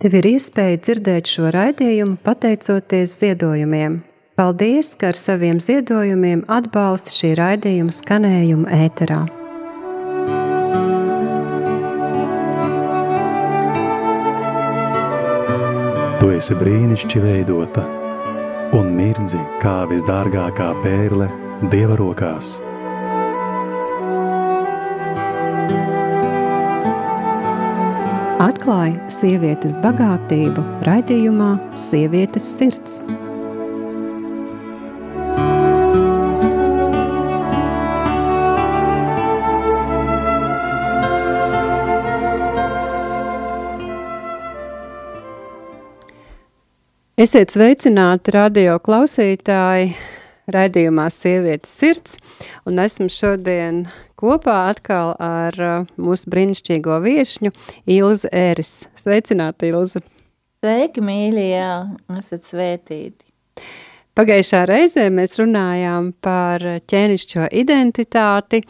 Tev ir iespēja dzirdēt šo raidījumu pateicoties ziedojumiem. Paldies, ka ar saviem ziedojumiem atbalsti šī raidījuma skanējumu ēterā. Tu esi brīnišķīgi veidota un mirdzi kā visdārgākā pērle Dieva rokās. Atklāj sievietes bagātību raidījumā Sievietes sirds. Esiet sveicināti radio klausītāji raidījumā Sievietes sirds, un esmu šodien kopā atkal ar mūsu brīnišķīgo viešņu Ilzi Ēris. Sveicināti, Ilze! Sveiki, mīļie, jā, esat svētīti. Pagājušā reizē mēs runājām par ķēnišķo identitāti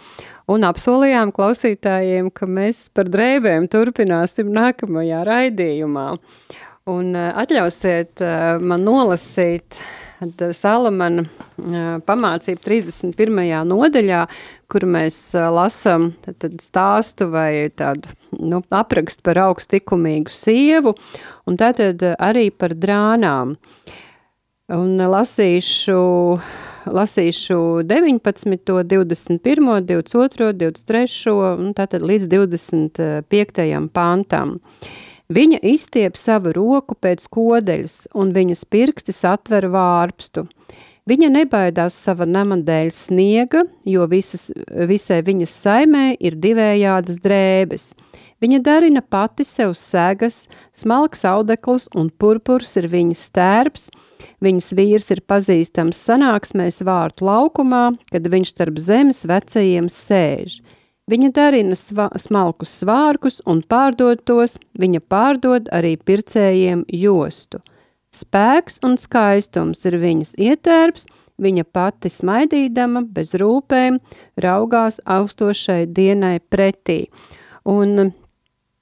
un apsolījām klausītājiem, ka mēs par drēbēm turpināsim nākamajā raidījumā. Un atļausiet man nolasīt Salamana pamācību 31. nodaļā, kur mēs lasam tad stāstu vai tādu aprakstu par augstlikumīgu sievu, un tātad arī par drānām. Un lasīšu 19, 21, 22, 23, un tātad līdz 25. pantam. Viņa izstiep savu roku pēc kodeļas, un viņas pirkstis atver vārpstu. Viņa nebaidās sava nama dēļ sniega, jo visai viņas saimē ir divējādas drēbes. Viņa darina pati sev segas, smalks audekls un purpurs ir viņas tērps. Viņas vīrs ir pazīstams sanāksmēs vārtu laukumā, kad viņš starp zemes vecajiem sēž. Viņa darina smalkus svārkus un pārdod tos, viņa pārdod arī pircējiem jostu. Spēks un skaistums ir viņas ietērps, viņa pati smaidīdama, bez rūpēm, raugās austošai dienai pretī. Un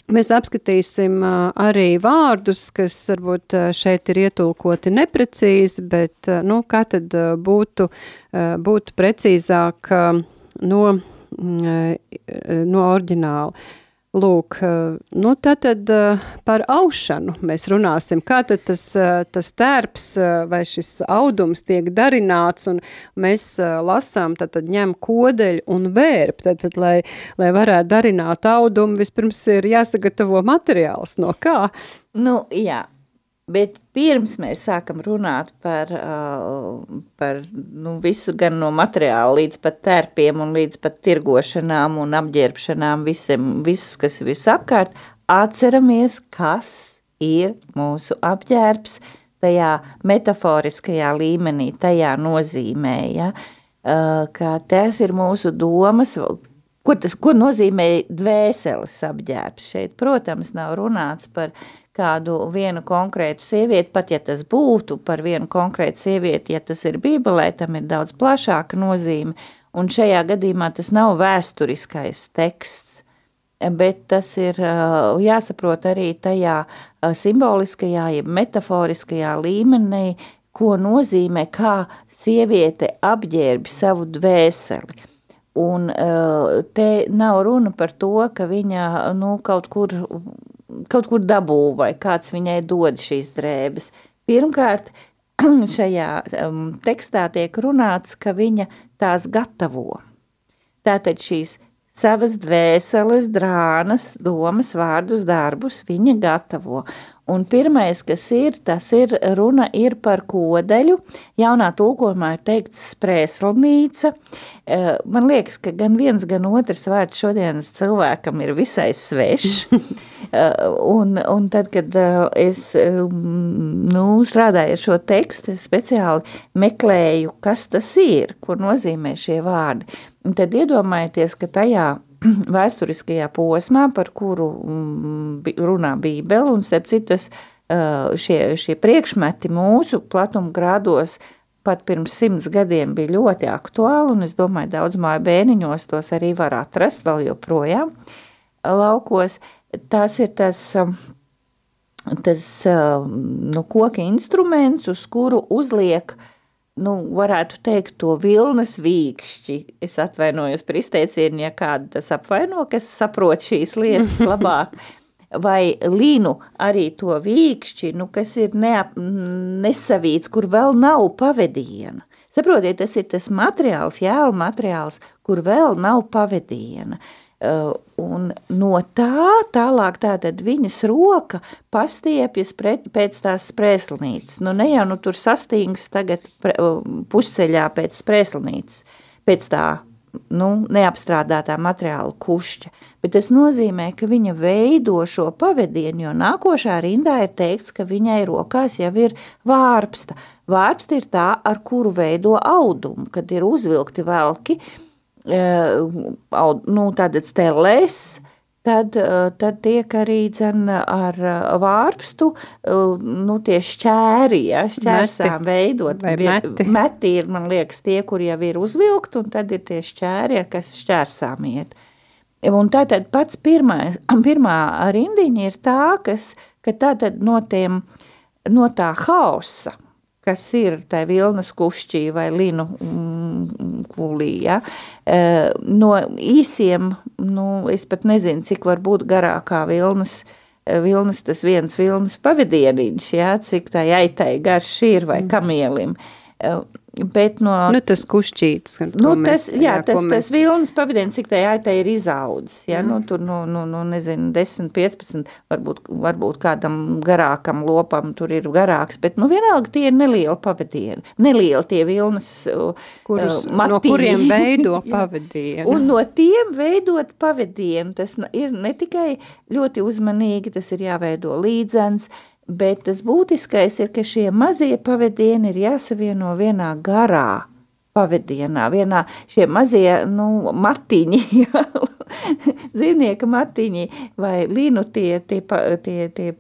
mēs apskatīsim arī vārdus, kas varbūt šeit ir ietulkoti neprecīzi, bet kā tad būtu precīzāk no oriģināla. Lūk, tātad par aušanu mēs runāsim, kā tad tas tērps vai šis audums tiek darināts, un mēs lasām, tad ņem kodeļu un vērp, tad, lai varētu darināt audumu, vispirms ir jāsagatavo materiāls, no kā? Jā. Bet pirms mēs sākam runāt par visu, gan no materiāla līdz pat tērpiem un līdz pat tirgošanām un apģērbšanām, visus, kas ir visapkārt, atceramies, kas ir mūsu apģērbs tajā metaforiskajā līmenī, tajā nozīmē, ja? Ka tas ir mūsu domas, ko nozīmē dvēseles apģērbs. Šeit, protams, nav runāts par kādu vienu konkrētu sievieti, pat ja tas būtu par vienu konkrētu sievieti, ja tas ir Bībelē, tam ir daudz plašāka nozīme, un šajā gadījumā tas nav vēsturiskais teksts, bet tas ir jāsaprot arī tajā simboliskajā, jeb metaforiskajā līmenī, ko nozīmē, kā sieviete apģērbi savu dvēseli. Un te nav runa par to, ka viņa kaut kur dabū vai kāds viņai dod šīs drēbes. Pirmkārt, šajā tekstā tiek runāts, ka viņa tās gatavo. Tātad šīs savas dvēseles, drānas, domas, vārdus, darbus viņa gatavo. Un pirmais, kas ir, runa ir par kodeļu. Jaunā tulkojumā ir teikts sprēslnīca. Man liekas, ka gan viens, gan otrs vārds šodienas cilvēkam ir visai svešs. Un tad, kad es strādāju ar šo tekstu, es speciāli meklēju, kas tas ir, ko nozīmē šie vārdi. Un tad iedomājieties, ka tajā vēsturiskajā posmā, par kuru runā Bībele, un starp citas šie priekšmeti mūsu platumgrādos pat pirms 100 gadiem bija ļoti aktuāli, un es domāju, daudz māju bērniņos tos arī var atrast vēl joprojām laukos. Tas ir tas koka instruments, uz kuru uzliek, varētu teikt, to vilnas vīkšķi. Es atvainojos par izteicienu, ja kādu tas apvaino, kas saprot šīs lietas labāk. Vai linu arī to vīkšķi, kas ir nesavīts, kur vēl nav pavediena. Saprotiet, tas ir tas materiāls, jēla materiāls, kur vēl nav pavediena. Un no tālāk tātad viņas roka pastiepjas pēc tās sprēslinītes. Ne jau tur sastīgs tagad pusceļā pēc sprēslinītes, pēc tā neapstrādātā materiāla kušķa, bet tas nozīmē, ka viņa veido šo pavedienu, jo nākošā rindā ir teikts, ka viņai rokās jau ir vārpsta. Vārpsta ir tā, ar kuru veido audumu, kad ir uzvilkti velki, tātad stelēs, tad tiek arī ar vārpstu tie šķēri, šķērsām veidot. Meti ir, man liekas, tie, kur jau ir uzvilkt, un tad ir tie šķēri, ar kas šķērsām iet. Un tātad pats pirmā rindiņa ir tā, ka tātad no tā hausa, kas ir tā vilnas kušķī vai linu kulī, no īsiem, es pat nezinu, cik var būt garākā vilnas tas viens vilnas pavedieniņš, cik tā aitai garš ir vai kamielim. Bet tas kušķītis, tas vilnas pavadiens, cik tā aitai ir izaudzis, tur nezinu, 10, 15, varbūt kādam garākam lopam tur ir garāks, bet vienalga tie ir nelieli pavadieni, nelieli tie vilnas matiņi. No kuriem veido pavadienu. Un no tiem veidot pavadienu, tas ir ne tikai ļoti uzmanīgi, tas ir jāveido līdzens, bet tas būtiskais ir, ka šie mazie pavadieni ir jāsavieno vienā garā pavadienā, šie mazie, matiņi, dzīvnieka matiņi vai linu tie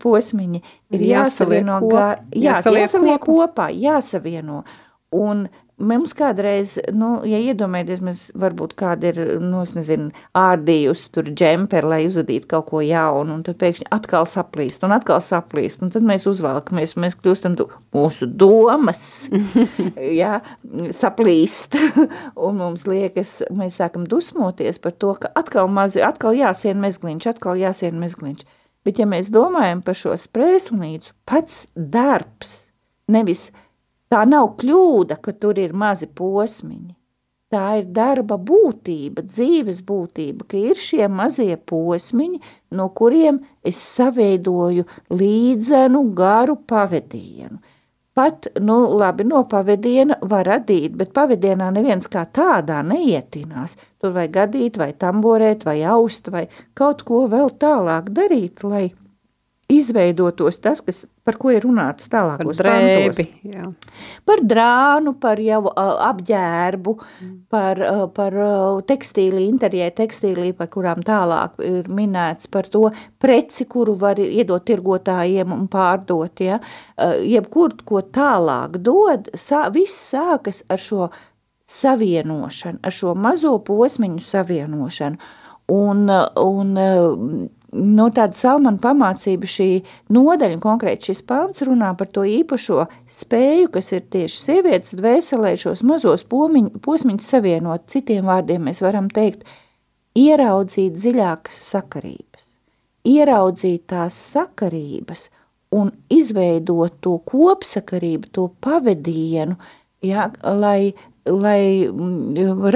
posmiņi ir jāsavieno kopā, jāsavieno. Un mums kādreiz, ja iedomājaties, mēs varbūt kāda ir, es nezinu, ārdījusi tur džemperi, lai uzadītu kaut ko jaunu, un tad pēkšņi atkal saplīst, un tad mēs uzvalkamies, un mēs kļūstam mūsu domas, saplīst, un mums liekas, mēs sākam dusmoties par to, ka atkal jāsien mezgliņš. Bet ja mēs domājam par šo sprēslinīcu, pats darbs, nevis tā nav kļūda, ka tur ir mazi posmiņi. Tā ir darba būtība, dzīves būtība, ka ir šie mazie posmiņi, no kuriem es saveidoju līdzenu garu pavedienu. Pat, labi, no pavediena var radīt, bet pavedienā neviens kā tādā neietinās. Tur vai gadīt, vai tamborēt, vai aust, vai kaut ko vēl tālāk darīt, lai izveidotos tas, par ko ir runāts tālākos pantos. Par drānu, par jau apģērbu, par tekstīli, interjēru tekstīlī, par kurām tālāk ir minēts, par to preci, kuru var iedot tirgotājiem un pārdot. Jebkur, ko tālāk dod, viss sākas ar šo savienošanu, ar šo mazo posmiņu savienošanu. Un tāda Salmana pamācība šī nodaļa, konkrēti šis pants runā par to īpašo spēju, kas ir tieši sievietes dvēselē šos mazos posmiņus savienot. Citiem vārdiem mēs varam teikt, ieraudzīt dziļākas sakarības, ieraudzīt tās sakarības un izveidot to kopsakarību, to pavedienu, lai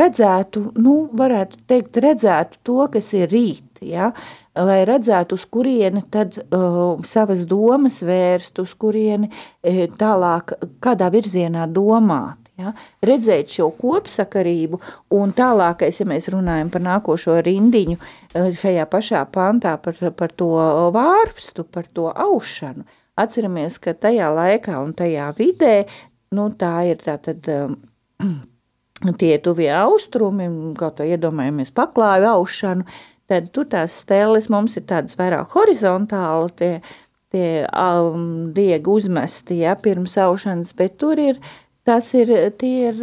redzētu, varētu teikt, redzētu to, kas ir rīt, lai redzētu, uz kurieni tad savas domas vērst, uz kurieni tālāk, kādā virzienā domāt. Redzēt šo kopsakarību un tālākais, ja mēs runājam par nākošo rindiņu šajā pašā pantā par to vārpstu, par to aušanu. Atceramies, ka tajā laikā un tajā vidē, tā ir tātad tie tuvie austrumi, kaut vai iedomājamies paklāju aušanu, tad tur tās stēles mums ir tādas vairāk horizontāli, tie diegi uzmesti, pirms aušanas, bet tur ir tie ir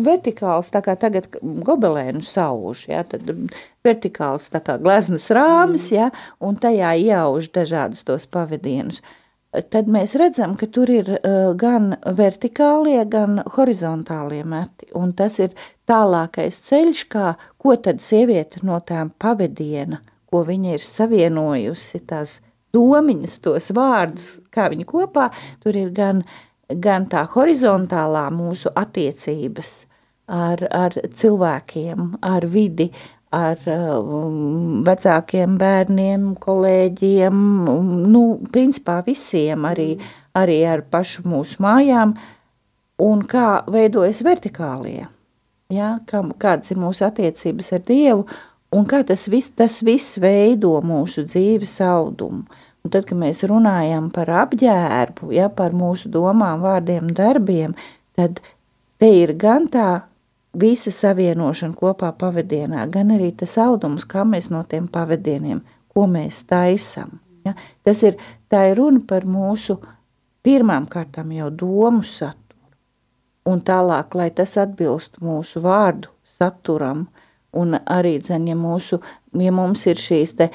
vertikāls, tā kā tagad gobelēnu sauž, ja, tad vertikāls tā kā gleznas rāmis, ja, un tajā iauž dažādus tos pavadienus. Tad mēs redzam, ka tur ir gan vertikālie, gan horizontālie meti, un tas ir tālākais ceļš, ko tad sieviete no tām pavadiena, ko viņa ir savienojusi, tās domiņas, tos vārdus, kā viņa kopā, tur ir gan tā horizontālā mūsu attiecības ar cilvēkiem, ar vidi, ar vecākiem bērniem, kolēģiem, principā visiem, arī ar pašu mūsu mājām, un kā veidojas vertikālie, ja? Kādas ir mūsu attiecības ar Dievu, un kā tas viss veido mūsu dzīves audumu. Un tad, kad mēs runājam par apģērbu, ja, par mūsu domām, vārdiem, darbiem, tad te ir gan tā visa savienošana kopā pavadienā, gan arī tas audums, kā mēs no tiem pavadieniem, ko mēs taisam. Ja. Tā ir runa par mūsu pirmām kārtām jau domu saturu. Un tālāk, lai tas atbilst mūsu vārdu saturam, un arī, ja mums ir šīs te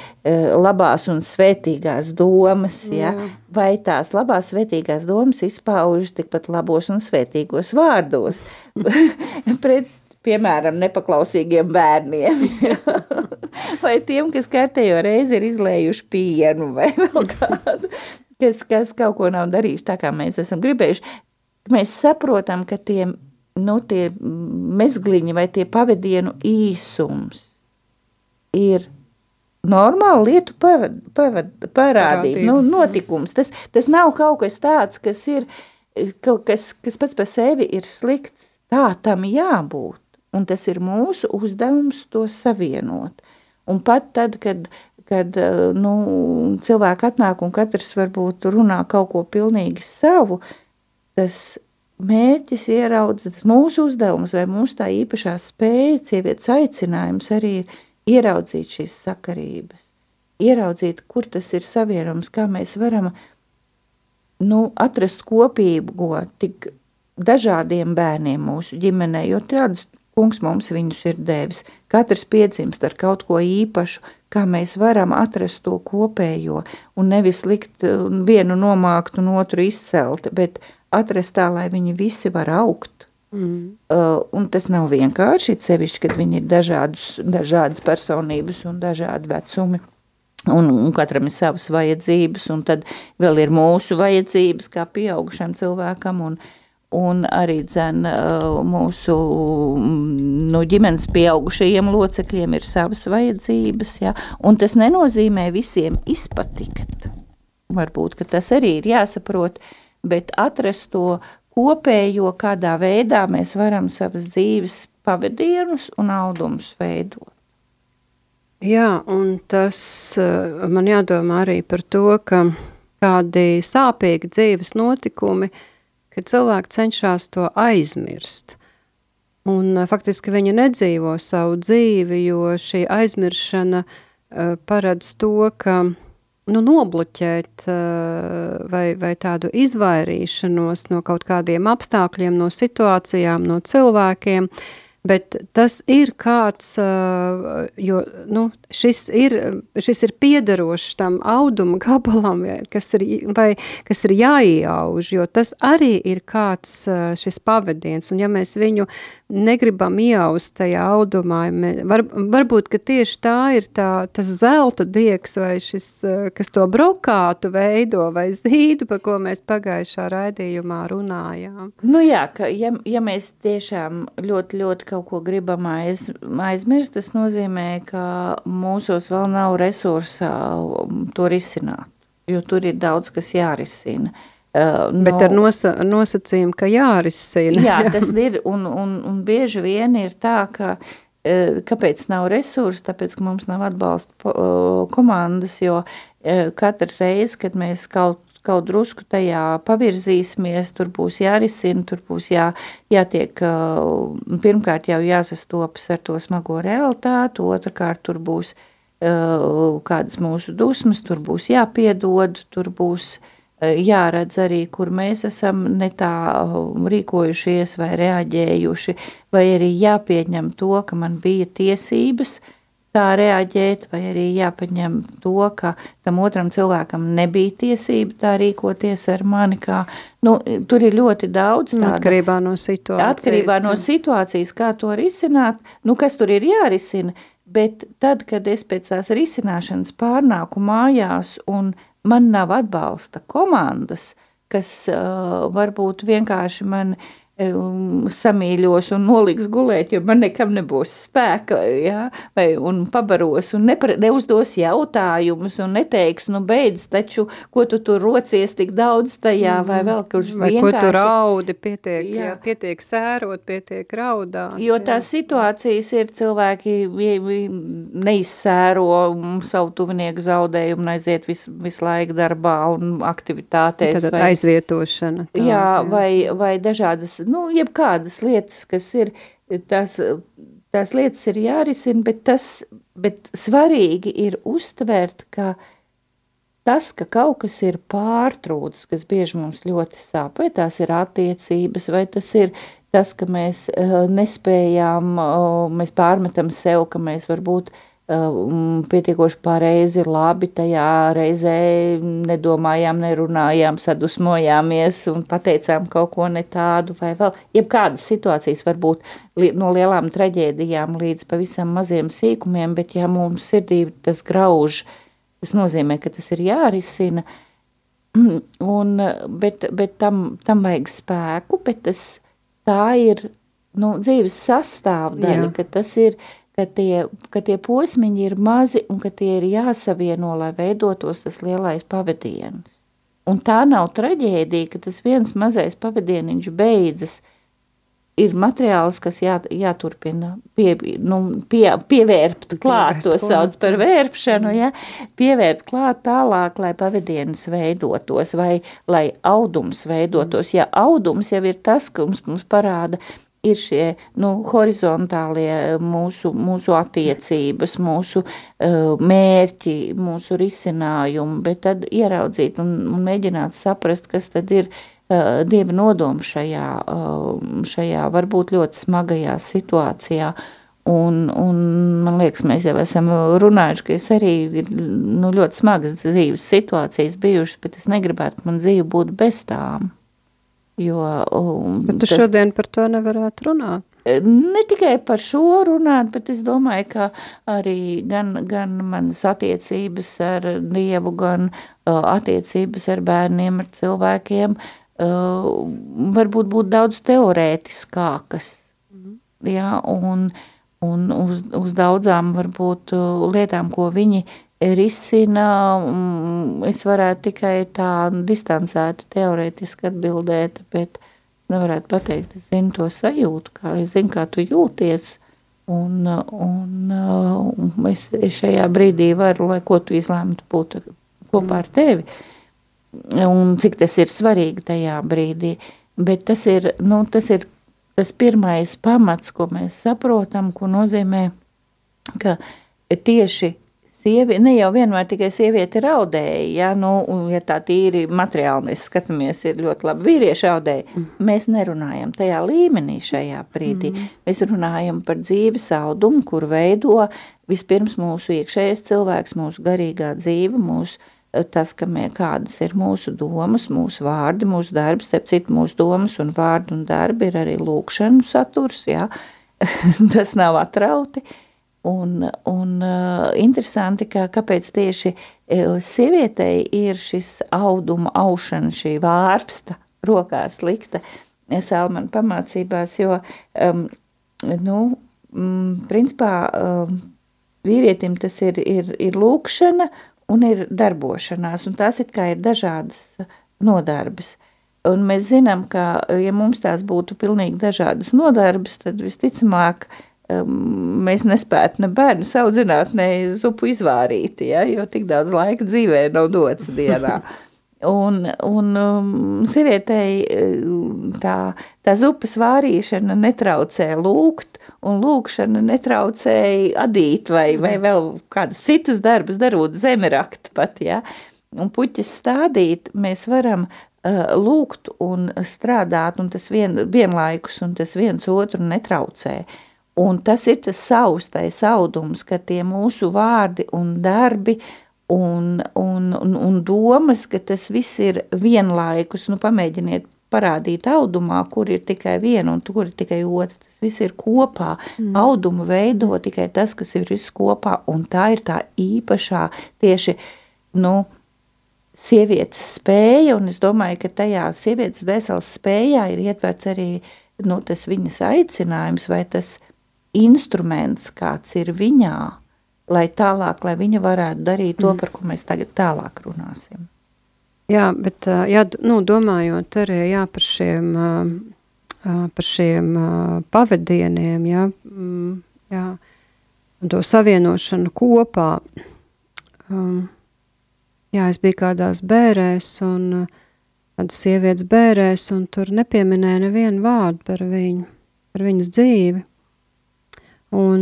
labās un svētīgās domas, ja, vai tās labās svētīgās domas izpauž tikpat labos un svētīgos vārdos pret, piemēram, nepaklausīgiem bērniem, ja. Vai tiem, kas kārtējo reizi ir izlējuši pienu, vai vēl kādu, kas kaut ko nav darījuši tā, kā mēs esam gribējuši. Mēs saprotam, ka tie mezgliņi vai tie pavadienu īsums ir normāla lietu parādīt, notikums. Tas nav kaut kas tāds, kas ir, kas pats par sevi ir slikts. Tā tam jābūt, un tas ir mūsu uzdevums to savienot. Un pat tad, kad cilvēki atnāk un katrs varbūt runā kaut ko pilnīgi savu, tas mērķis ieraudzīt mūsu uzdevums vai mūsu tā īpašā spēja, sievietes aicinājums arī ir ieraudzīt šīs sakarības, ieraudzīt, kur tas ir savienojums, kā mēs varam atrast kopību tik dažādiem bērniem mūsu ģimenē, jo tādus kungs mums viņus ir devis. Katrs piedzimst ar kaut ko īpašu, kā mēs varam atrast to kopējo un nevis likt vienu nomākt un otru izcelt, bet atrast tā, lai viņi visi var augt. Un tas nav vienkārši, sevišķi, kad viņi ir dažādas personības un dažādi vecumi. Un katram ir savas vajadzības, un tad vēl ir mūsu vajadzības kā pieaugušam cilvēkam, un arī mūsu ģimenes pieaugušajiem locekļiem ir savas vajadzības, ja? Un tas nenozīmē visiem izpatikt. Varbūt, ka tas arī ir jāsaprot, bet atrast to kopējo, kādā veidā mēs varam savas dzīves pavadienus un audumus veidot. Jā, un tas man jādomā arī par to, ka kādi sāpīgi dzīves notikumi, kad cilvēki cenšas to aizmirst. Un faktiski viņi nedzīvo savu dzīvi, jo šī aizmiršana paredz to, ka nobloķēt vai tādu izvairīšanos no kaut kādiem apstākļiem, no situācijām, no cilvēkiem, bet tas ir kāds, jo šis ir piederošs tam auduma gabalam, kas ir jāieauž, jo tas arī ir kāds šis pavadiens, un ja mēs viņu negribam ieaust tajā audumā, varbūt, ka tieši tā ir tas zelta diegs vai šis, kas to brokātu veido vai zīdu, par ko mēs pagājušā raidījumā runājām. Jā, ka ja mēs tiešām ļoti, ļoti kaut ko gribam aizmirst, tas nozīmē, ka mūsos vēl nav resursa to risināt, jo tur ir daudz, kas jārisina. Bet ar nosacījumu, ka jārisina. Jā, tas ir, un bieži vien ir tā, ka kāpēc nav resursi, tāpēc, ka mums nav atbalsta komandas, jo katru reizi, kad mēs kaut drusku tajā pavirzīsimies, tur būs jārisina, tur būs jātiek, pirmkārt jau jāsastopas ar to smago realitāti, otrkārt tur būs kādas mūsu dusmas, tur būs jāpiedod, tur būs jāredz arī, kur mēs esam ne tā rīkojušies vai reaģējuši, vai arī jāpieņem to, ka man bija tiesības tā reaģēt, vai arī jāpaņem to, ka tam otram cilvēkam nebija tiesība tā rīkoties ar mani, kā, tur ir ļoti daudz tāda. Atkarībā no situācijas. Atkarībā no situācijas, kā to risināt, kas tur ir jārisina, bet tad, kad es pēc tās risināšanas pārnāku mājās un man nav atbalsta komandas, kas varbūt vienkārši man samīļos un noliks gulēt, jo man nekam nebūs spēka, ja? Un pabaros un neuzdos jautājumus un neteiks, beidz taču, ko tu tur rocies tik daudz tajā, vai vēl, kurš vai vienkārši... Vai ko tu raudi, pietiek sērot, pietiek raudāt. Jo tās situācijas ir cilvēki neizsēro savu tuvinieku zaudējumu un aiziet visu laiku darbā un aktivitātēs. Tad aizvietošana. Jā, vai dažādas, jebkādas lietas, kas ir, tās lietas ir jārisina, bet svarīgi ir uztvert, ka tas, ka kaut kas ir pārtrūcis, kas bieži mums ļoti sāp, vai tās ir attiecības, vai tas ir tas, ka mēs nespējām, mēs pārmetam sev, ka mēs varbūt pietiekoši pareizi, labi tajā reizē nedomājām, nerunājām, sadusmojāmies un pateicām kaut ko ne tādu vai vēl. Jebkādas situācijas var būt no lielām traģēdijām līdz pavisam maziem sīkumiem, bet ja mums sirdī tas grauž, tas nozīmē, ka tas ir jārisina, bet tam vajag spēku, bet tā ir dzīves sastāvdaļa, ka tas ir, ka tie posmiņi ir mazi un ka tie ir jāsavieno, lai veidotos tas lielais pavadiens. Un tā nav traģēdija, ka tas viens mazais pavadieniņš beidzas, ir materiāls, kas jāturpina pievērpt klāt, to sauc par vērpšanu, pievērpt klāt tālāk, lai pavadienis veidotos vai lai audums veidotos. Ja audums jau ir tas, ka mums parāda, ir šie horizontālie mūsu attiecības, mūsu mērķi, mūsu risinājumi, bet tad ieraudzīt un mēģināt saprast, kas tad ir Dieva nodomu šajā varbūt ļoti smagajā situācijā. Un man liekas, mēs jau esam runājuši, ka es arī ir ļoti smagas dzīves situācijas bijušas, bet es negribētu, ka man dzīve būtu bez tām. Bet tu šodien par to nevarētu runāt? Ne tikai par šo runāt, bet es domāju, ka arī gan manas attiecības ar Dievu, gan attiecības ar bērniem, ar cilvēkiem, varbūt būt daudz teorētiskākas. Ja, un uz daudzām varbūt lietām, ko viņi risina, es varētu tikai tā distancēti teorētiski atbildēt, bet nevarētu pateikt, es zinu to sajūtu, es zinu, kā tu jūties, un es šajā brīdī varu, lai ko tu izlēmtu būt kopā ar tevi, un cik tas ir svarīgi tajā brīdī, bet tas ir tas pirmais pamats, ko mēs saprotam, ko nozīmē, ka tieši ne jau vienmēr tikai sieviete raudēja, ja tā tīri materiāli mēs skatāmies, ir ļoti labi vīrieši raudēja, mēs nerunājam tajā līmenī šajā brīdī. Mēs runājam par dzīves audumu, kur veido vispirms mūsu iekšējais cilvēks, mūsu garīgā dzīve, tas, kādas ir mūsu domas, mūsu vārdi, mūsu darbs, citu mūsu domas un vārdi un darbi ir arī lūkšanu saturs, tas nav atrauti. Un interesanti, kāpēc tieši sievietei ir šis auduma aušana, šī vārpsta rokās likta Salmana pamācībās, jo, principā vīrietim tas ir lūkšana un ir darbošanās, un tās it kā ir dažādas nodarbes. Un mēs zinām, ka, ja mums tās būtu pilnīgi dažādas nodarbes, tad visticamāk, mēs nespētu ne bērnu audzināt, ne zupu izvārīt, jo tik daudz laika dzīvē nav dots dienā. Un sievietei tā zupas vārīšana netraucē lūgt, un lūgšana netraucēja adīt vai vēl kādus citus darbus darot, zemerakt pat, un puķis stādīt, mēs varam lūgt un strādāt, un tas vienlaikus, un tas viens otru netraucē. Un tas ir tas saustais audums, ka tie mūsu vārdi un darbi un domas, ka tas viss ir vienlaikus. Nu, pamēģiniet parādīt audumā, kur ir tikai viena un kur ir tikai otra. Tas viss ir kopā. Audumu veido tikai tas, kas ir viss kopā, un tā ir tā īpašā tieši, sievietes spēja, un es domāju, ka tajā sievietes dvēseles spējā ir ietverts arī, tas viņas aicinājums vai tas instruments, kāds ir viņā, lai viņa varētu darīt to, par ko mēs tagad tālāk runāsim. Jā, bet domājot arī par šiem pavadieniem, un to savienošanu kopā. Es biju kādās bērēs un kādas sievietes bērēs, un tur nepieminēja nevienu vārdu par viņas dzīvi. Un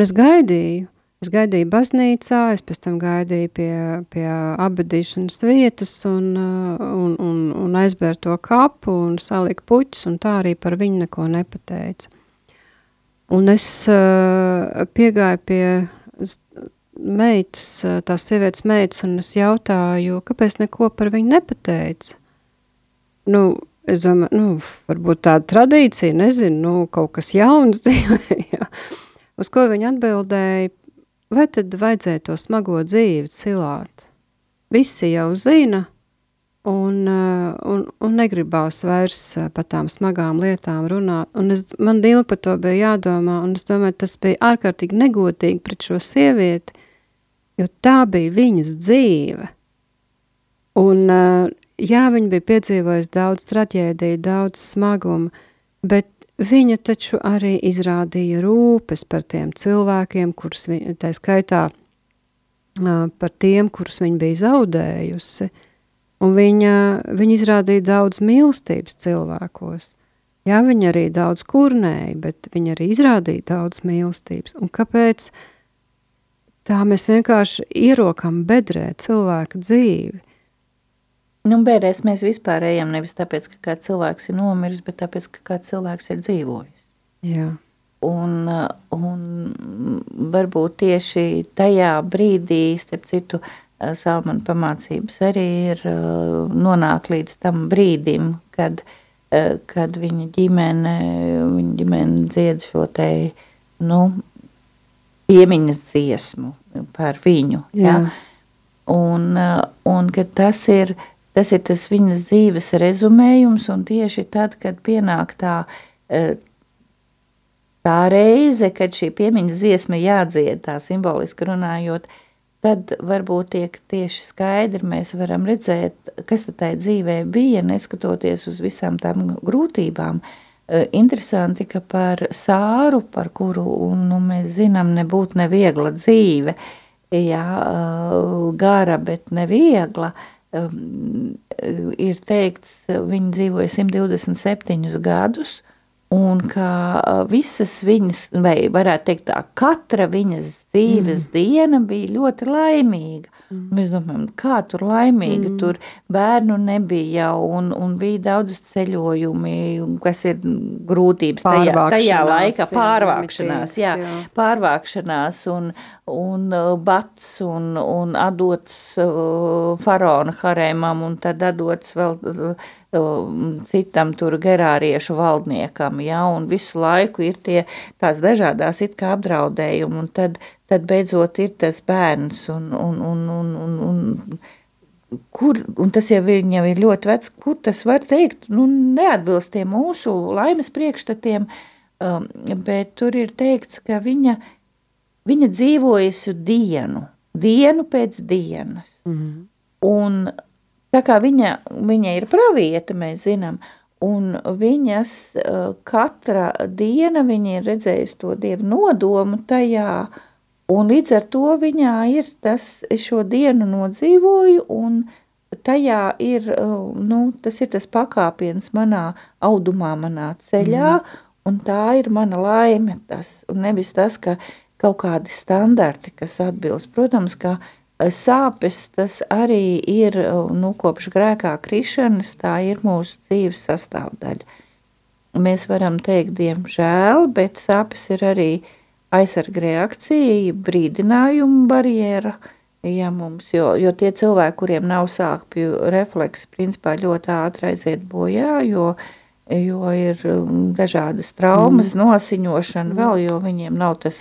es gaidīju baznīcā, es pēc tam gaidīju pie abadīšanas vietas un aizbēru to kapu un saliku puķus, un tā arī par viņu neko nepateica. Un es piegāju pie tās sievietes meitas, un es jautāju, kāpēc neko par viņu nepateica? Es domāju, varbūt tāda tradīcija, nezinu, kaut kas jauns dzīvē, jā. Uz ko viņa atbildēja, vai tad vajadzēja to smago dzīvi cilāt? Visi jau zina, un negribās vairs par tām smagām lietām runāt. Un man ilgi par to bija jādomā, un es domāju, tas bija ārkārtīgi negodīgi pret šo sievieti, jo tā bija viņas dzīve. Un viņa bija piedzīvojusi daudz traģēdiju, daudz smagumu, bet viņa taču arī izrādīja rūpes par tiem cilvēkiem, kurus tā skaitā par tiem, kurus viņa bija zaudējusi. Un viņa izrādīja daudz mīlestības cilvēkos. Jā, viņa arī daudz kurnēja, bet viņa arī izrādīja daudz mīlestības. Un kāpēc tā mēs vienkārši ierokam bedrē cilvēka dzīvi? Bērēs mēs vispār ejam nevis tāpēc, ka kāds cilvēks ir nomiris, bet tāpēc, ka kāds cilvēks ir dzīvojis. Jā. Un varbūt tieši tajā brīdī, starp citu, Salmana pamācības arī ir nonāk līdz tam brīdim, kad viņa ģimene dzied šo te, piemiņas dziesmu par viņu. Jā. Un ka tas ir tas viņas dzīves rezumējums, un tieši tad, kad pienāk tā reize, kad šī piemiņas dziesma jādzied, tā simboliski runājot, tad varbūt tieši skaidri mēs varam redzēt, kas tad tai dzīvē bija, neskatoties uz visām tām grūtībām. Interesanti, ka par Sāru, par kuru mēs zinām, nebūtu neviegla dzīve, gara, bet neviegla, ir teikts, viņa dzīvoja 127 gadus, un ka visas viņas, vai varētu teikt tā, katra viņas dzīves diena bija ļoti laimīga. Mēs domājam, kā tur laimīga, tur bērnu nebija jau, un bija daudz ceļojumi, kas ir grūtības tajā laikā, pārvākšanās, un bats, un adots faraona harēmam, un tad adots vēl citam tur gerāriešu valdniekam, un visu laiku ir tās dažādās it kā apdraudējumi, un tad beidzot ir tas bērns, un tas jau ir ļoti vecs, kur tas var teikt, neatbilst tiem mūsu laimes priekšstatiem, bet tur ir teikts, ka viņa dzīvojusi dienu pēc dienas, un tā kā viņa ir pravieta, mēs zinām, un viņas katra diena, viņa ir redzējusi to Dievu nodomu tajā, un līdz ar to viņā ir tas, es šo dienu nodzīvoju, un tajā ir, tas ir tas pakāpiens manā audumā, manā ceļā, un tā ir mana laime tas, un nevis tas, ka kaut kādi standarti, kas atbilst. Protams, ka sāpes tas arī ir, kopš grēkā krišanas, tā ir mūsu dzīves sastāvdaļa. Mēs varam teikt, diemžēl, bet sāpes ir arī aizsarga reakcija, brīdinājuma barjera, ja mums, jo tie cilvēki, kuriem nav sāpju refleksi, principā ļoti ātri aiziet bojā, jo ir dažādas traumas, nosiņošana vēl, jo viņiem nav tas,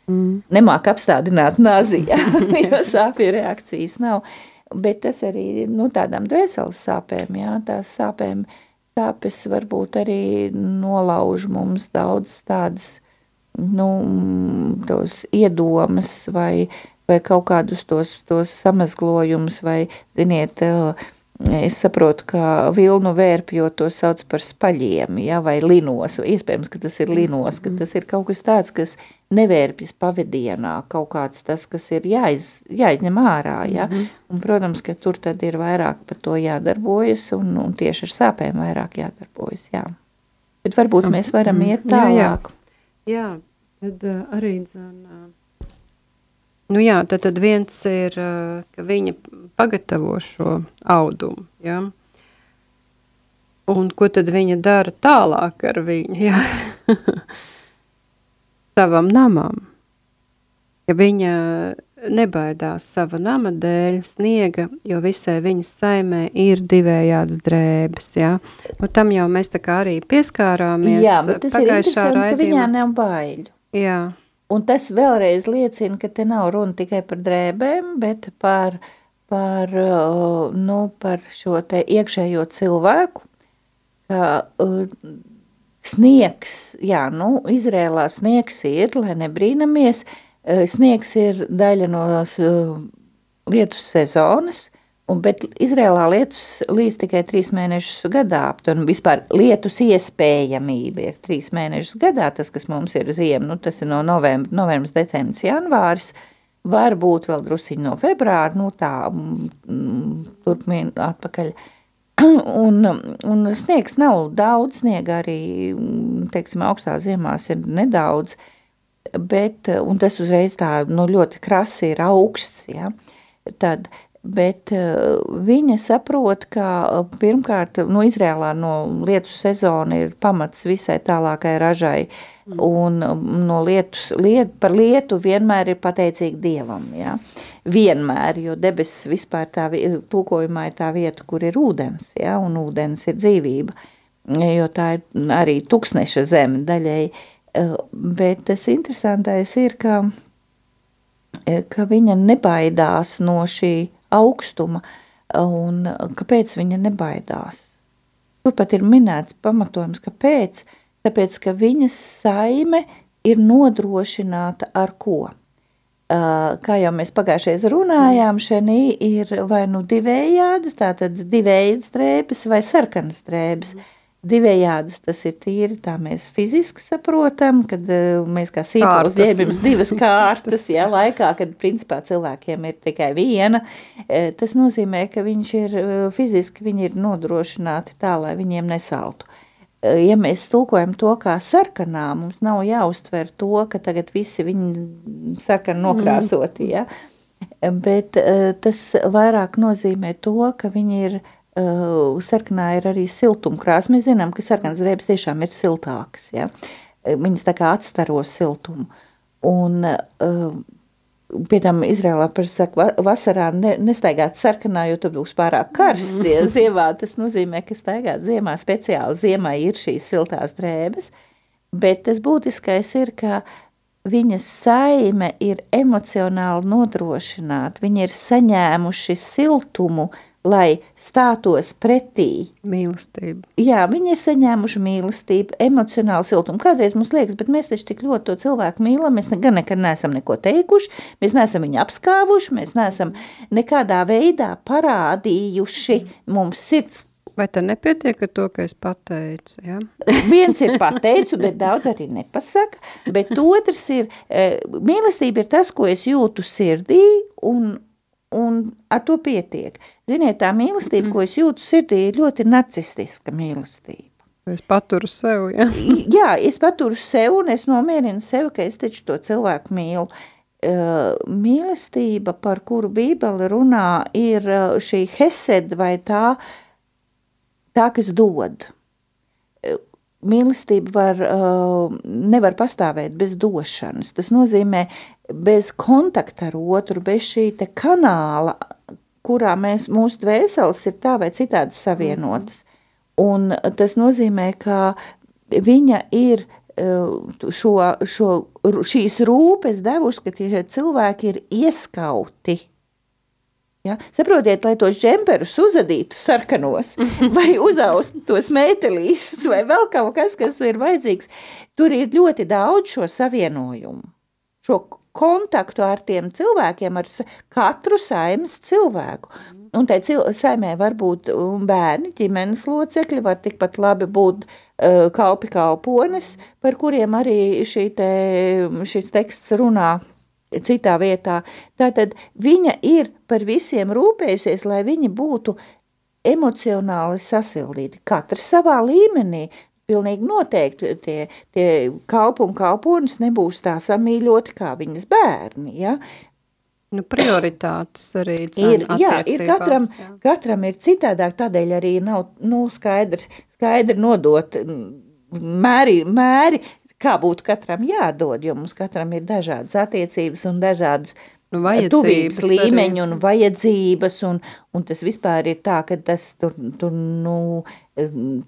nemāk apstādināt nazi, jo sāpju reakcijas nav. Bet tas arī, tādām dvēseles sāpēm, tās sāpes varbūt arī nolauž mums daudz tādas, tos iedomas vai kaut kādus tos samazglojumus, vai, ziniet, es saprotu, ka vilnu vērpjot to sauc par spaļiem, vai linos, iespējams, ka tas ir linos, ka tas ir kaut kas tāds, kas nevērpjas pavadienā, kaut kāds tas, kas ir jāizņem ārā, un, protams, ka tur tad ir vairāk par to jādarbojas, un tieši ar sāpēm vairāk jādarbojas, Bet varbūt mēs varam iet tālāk. Jā, tad arī tad viens ir, ka viņa pagatavo šo audumu, Un ko tad viņa dara tālāk ar viņu, savam namam? Ja viņa nebaidās sava nama dēļ sniega, jo visai viņas saimē ir divējādas drēbes, tam jau mēs tā kā arī pieskārāmies. Jā, bet tas ir interesanti, ka viņā nav baiļu. Jā. Un tas vēlreiz liecina, ka te nav runa tikai par drēbēm, bet par šo te iekšējo cilvēku, ka sniegs, Izrēlā sniegs ir, lai nebrīnamies, sniegs ir daļa no lietus sezonas, bet Izrēlā lietus līdz tikai 3 mēnešus gadā, un vispār lietus iespējamība ir 3 mēnešus gadā, tas, kas mums ir ziema, tas ir no novembris, decembris, janvāris, varbūt vēl drusiņi no februāra, turpmien atpakaļ. Un sniegs nav daudz, sniega arī, teiksim, augstā ziemās ir nedaudz, un tas uzreiz tā, ļoti krasi ir augsts, Bet viņa saprot, ka pirmkārt, Izrēlā lietus sezona ir pamats visai tālākai ražai, un par lietu vienmēr ir pateicīgi Dievam, vienmēr, jo debesis vispār tulkojumā ir tā vieta, kur ir ūdens, un ūdens ir dzīvība, jo tā ir arī tuksneša zeme daļēji, bet tas interesantais ir, ka viņa nebaidās no šī augstuma, un kāpēc viņa nebaidās? Turpat ir minēts pamatojums, kāpēc? Tāpēc, ka viņas saime ir nodrošināta ar ko? Kā jau mēs pagājušreiz runājām, šenī ir vai divējādas, tātad divējādas drēbes vai sarkanas drēbes. Divējādas tas ir tīri, tā mēs fiziski saprotam, kad mēs kā sīpols ģērbjams 2 kārtas, laikā, kad principā cilvēkiem ir tikai viena. Tas nozīmē, ka viņi ir nodrošināti tā, lai viņiem nesaltu. Ja mēs tulkojam to kā sarkanā, mums nav jāuztver to, ka tagad visi viņi sarkani nokrāsoti, bet tas vairāk nozīmē to, ka viņi ir sarkanā ir arī siltumkrāsa. Mēs zinām, ka sarkanas drēbes tiešām ir siltākas, Viņas tā kā atstaro siltumu. Un pie tam Izrēlā saka, vasarā nestaigāt sarkanā, jo tur būs pārāk karsts, ziemā tas nozīmē, ka staigāt ziemā speciāli ziemai ir šīs siltās drēbes, bet tas būtiskais ir, ka viņas saime ir emocionāli nodrošināta, viņi ir saņēmuši siltumu, lai stātos pretī. Mīlestību. Jā, viņi ir saņēmuši mīlestību, emocionālu siltumu. Kādreiz mums liekas, bet mēs taču tik ļoti to cilvēku mīlam, mēs gan nekad neesam neko teikuši, mēs neesam viņu apskāvuši, mēs neesam nekādā veidā parādījuši mums sirds. Vai tā nepietiek ar to, ka es pateicu, Viens ir pateicu, bet daudz arī nepasaka, bet otrs ir, mīlestība ir tas, ko es jūtu sirdī, un ar to pietiek. Ziniet, tā mīlestība, ko es jūtu sirdī, ir ļoti narcistiska mīlestība. Es paturu sev, Jā, es paturu sev un es nomierinu sevi, ka es taču to cilvēku mīlu. mīlestība, par kuru Bībele runā, ir šī hesed vai tā, kas dod. Mīlestība nevar pastāvēt bez došanas. Tas nozīmē bez kontakta ar otru, bez šī te kanāla, kurā mūsu dvēseles ir tā vai citādi savienotas. Un tas nozīmē, ka viņa ir šīs rūpes devuši, ka tie cilvēki ir ieskauti. Ja? Saprotiet, lai tos džemperus uzadītu sarkanos, vai uzaustu tos meitelīšus, vai vēl kaut kas ir vajadzīgs, tur ir ļoti daudz šo savienojumu, šo kontaktu ar tiem cilvēkiem, ar katru saimes cilvēku. Un tai saimē var būt bērni, ģimenes locekļi, var tikpat labi būt kalpones, par kuriem arī šis teksts runā citā vietā. Tātad viņa ir par visiem rūpējusies, lai viņi būtu emocionāli sasildīti. Katrs savā līmenī, pilnīgi noteikti tie kalpu un kalponis nebūs tā samīļoti kā viņas bērni, ja? Prioritātes arī attiecībās. Katram ir citādāk, tādēļ arī nav skaidri nodot mēri, kā būtu katram jādod, jo mums katram ir dažādas attiecības un dažādas tuvības līmeņi un vajadzības, un tas vispār ir tā, ka tas tur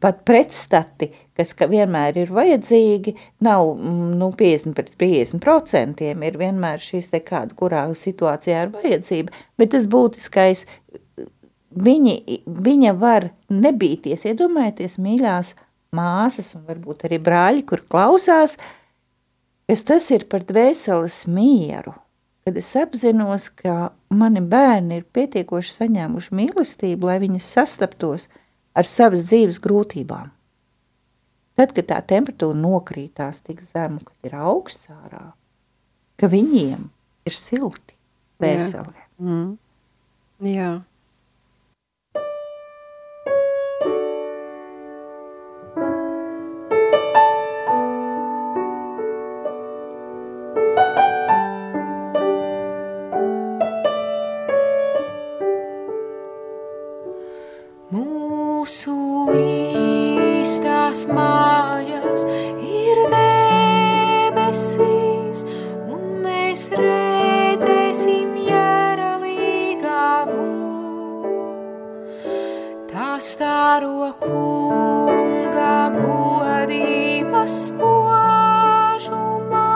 pat pretstati, kas vienmēr ir vajadzīgi, nav 50 pret 50%, ir vienmēr šīs te kāda, kurā situācijā ir vajadzība, bet tas būtiskais, viņa var nebīties, iedomājieties, mīļās māsas un varbūt arī brāļi, kur klausās, kas tas ir par dvēseles mieru, kad es apzinos, ka mani bērni ir pietiekoši saņēmuši mīlestību, lai viņas sastaptos ar savas dzīves grūtībām. Tad, kad tā temperatūra nokrītās tik zemu, kad ir augsts ārā, ka viņiem ir silti dvēselē. Jā. Mūsu īstās mājas ir debesīs, un mēs redzēsim Jeralīgavu. Tā staro kunga godības spožumā,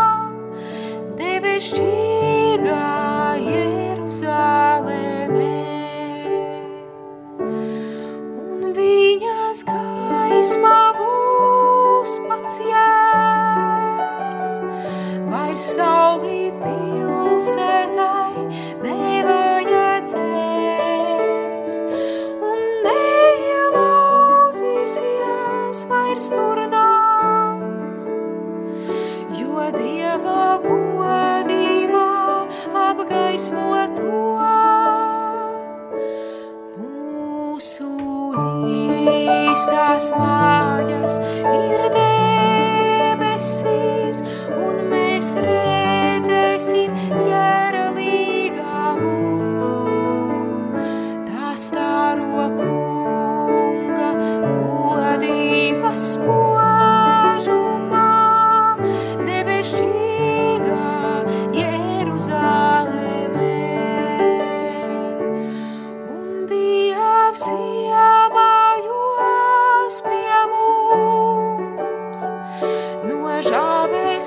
debesšķīgā Jeruzālēmē. Viņas gaismā būs pats jērs, vairs saulī pilsētai nevajadzēs, un neielauzīsies vairs tur nakts, jo Dieva godībā apgaismo to. Īstās mājas ir debesīs, un mēs redzēsim Jeralīgavu. Tā staro kunga godības spožumā, debesšķīgā Jeruzālēmē. Un Dievs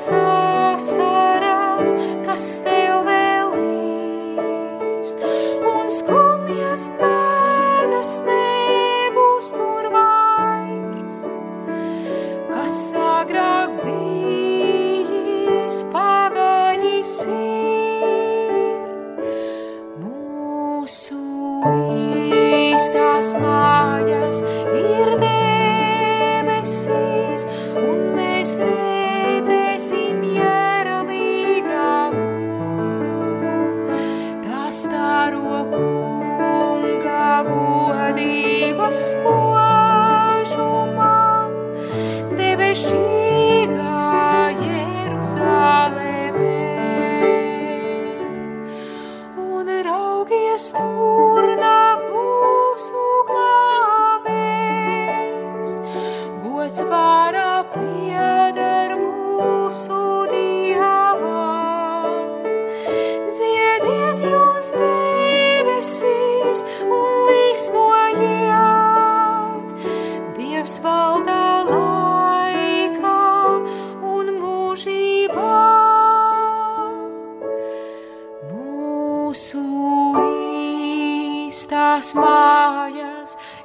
sasaras, kas tev vēl līst, un skumjas pēdas nebūs tur vairs, kas agrāk bijis pagājis ir. Mūsu īstās mājas ir debesīs, un mēs redzēsim Jeralīgavu. Tā staro kunga godības spožumā, debesšķīgā Jeruzālēmē.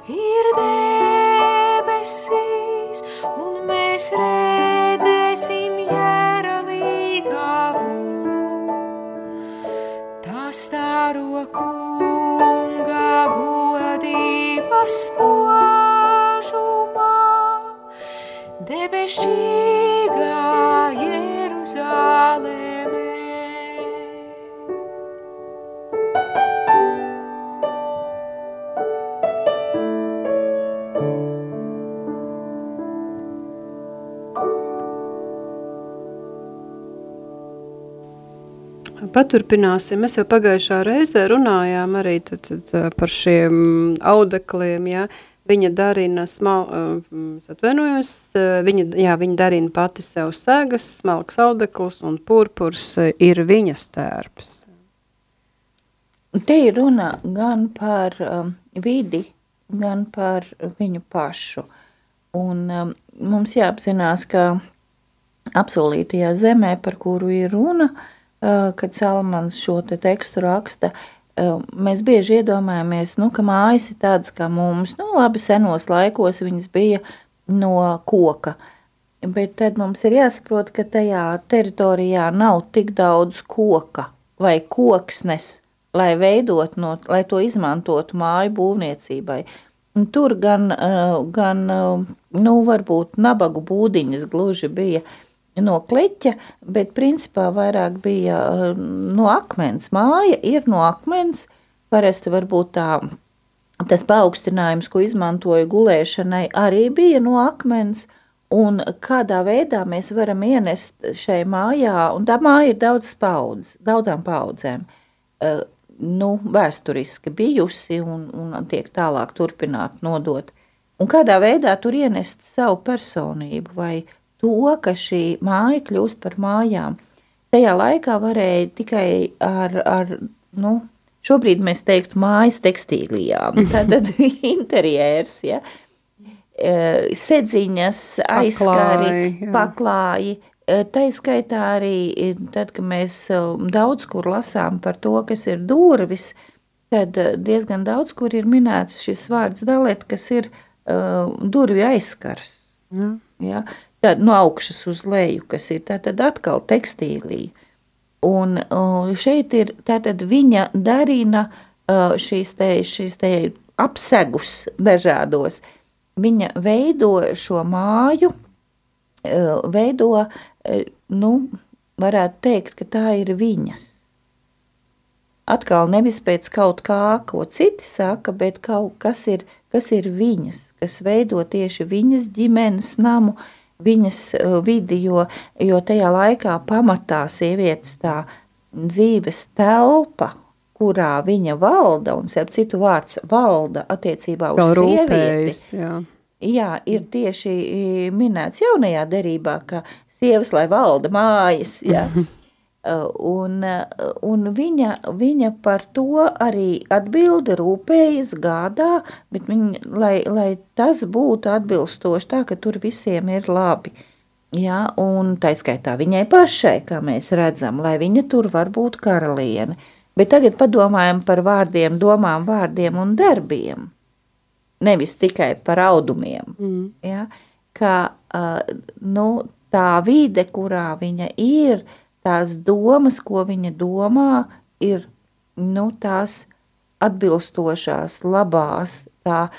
ir debesīs, un mēs redzēsim Jēralīgavu. Tā staro Kunga godības spožumā, debesšķīgā Jeruzālēmē. Paturpināsim. Mēs jau pagājušā reizē runājām arī tad par šiem audekliem, ja. Viņa darina viņa darina pati sev segas, smalks audekls un purpurs ir viņas tērps. Te ir runa gan par vidi, gan par viņu pašu. Un mums jāapzinās, ka apsolītajā zemē, par kuru ir runa, kad Salamans šo te tekstu raksta, mēs bieži iedomājamies, ka mājas ir tādas kā mums. Labi, senos laikos viņas bija no koka, bet tad mums ir jāsaprot, ka tajā teritorijā nav tik daudz koka vai koksnes, lai to izmantotu māju būvniecībai. Un tur gan varbūt nabagu būdiņas gluži bija no kleķa, bet principā vairāk bija no akmens. Māja ir no akmens, parasti varbūt tas paaugstinājums, ko izmantoja gulēšanai, arī bija no akmens, un kādā veidā mēs varam ienest šai mājā, un tā māja ir daudzām paudzēm, vēsturiski bijusi un tiek tālāk turpināt nodot. Un kādā veidā tur ienest savu personību vai to, ka šī māja kļūst par mājām. Tajā laikā varēja tikai ar šobrīd mēs teiktu mājas tekstīlijām, tātad interjērs, ja, sedziņas, aizskari, paklāji, tai skaitā arī, tad, kad mēs daudz kur lasām par to, kas ir durvis, tad diezgan daudz kur ir minēts šis vārds dalet, kas ir durvju aizskars. Ja. Tāda no augšas uz leju, kas ir tātad atkal tekstīlija. Un šeit ir tātad viņa darina šīs te apsegus dažādos. Viņa veido šo māju, varētu teikt, ka tā ir viņas. Atkal nevis pēc kaut kā, ko citi saka, bet kaut kas ir viņas, kas veido tieši viņas ģimenes namu, viņas vidi, jo tajā laikā pamatā sievietes tā dzīves telpa, kurā viņa valda, un starp citu vārds valda attiecībā uz sievieti. Jā, ir tieši minēts jaunajā derībā, ka sievas, lai valda mājas, jā. Un viņa par to arī atbilda, rūpējas, gādā, bet lai tas būtu atbilstoši tā, ka tur visiem ir labi. Ja, un tā skaitā viņai pašai, kā mēs redzam, lai viņa tur var būt karaliene. Bet tagad padomājam par vārdiem, domām, vārdiem un darbiem. Nevis tikai par audumiem. Ja, ka tā vide, kurā viņa ir, tās domas, ko viņa domā, ir tās atbilstošās, labās, tā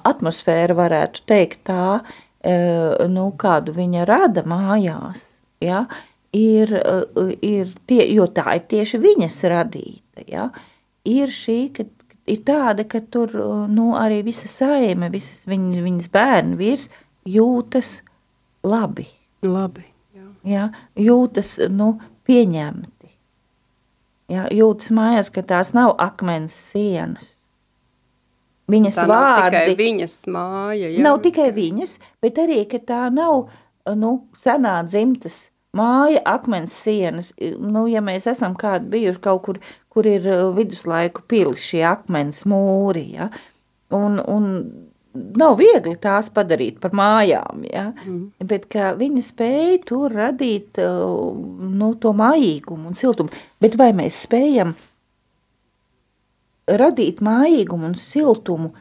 atmosfēra varētu teikt tā, kādu viņa rada mājās, ja, ir jo tā ir tieši viņas radīta, ja, ir šī, ka ir tāda, ka tur arī visa saime, visas viņas bērni vīrs jūtas labi. Labi. Ja, jūtas pieņemti. Ja, jūtas mājās, ka tās nav akmens sienas. Viņas tā vārdi. Nav tikai viņas māja. Jā. Nav tikai viņas, bet arī, ka tā nav senā dzimtas māja, akmens sienas. Ja mēs esam kādi bijuši kaut kur ir viduslaiku pili, šie akmens mūri, ja, un nav viegli tās padarīt par mājām, ja? Bet ka viņa spēja tur radīt to mājīgumu un siltumu. Bet vai mēs spējam radīt mājīgumu un siltumu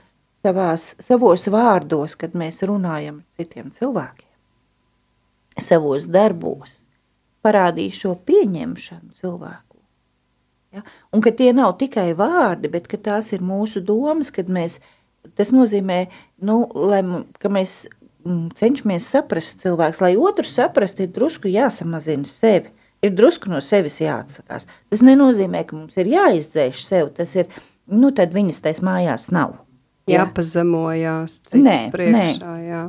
savos vārdos, kad mēs runājam ar citiem cilvēkiem, savos darbos, parādīt šo pieņemšanu cilvēku. Ja? Un ka tie nav tikai vārdi, bet ka tās ir mūsu domas, kad tas nozīmē, ka mēs cenšamies saprast cilvēks, lai otrs saprast, ir drusku jāsamazina sevi, ir drusku no sevis jāatsakās. Tas nenozīmē, ka mums ir jāizdzēš sev, tas ir, tad viņas tais mājās nav. Jāpazemojās citu priekšā, jā.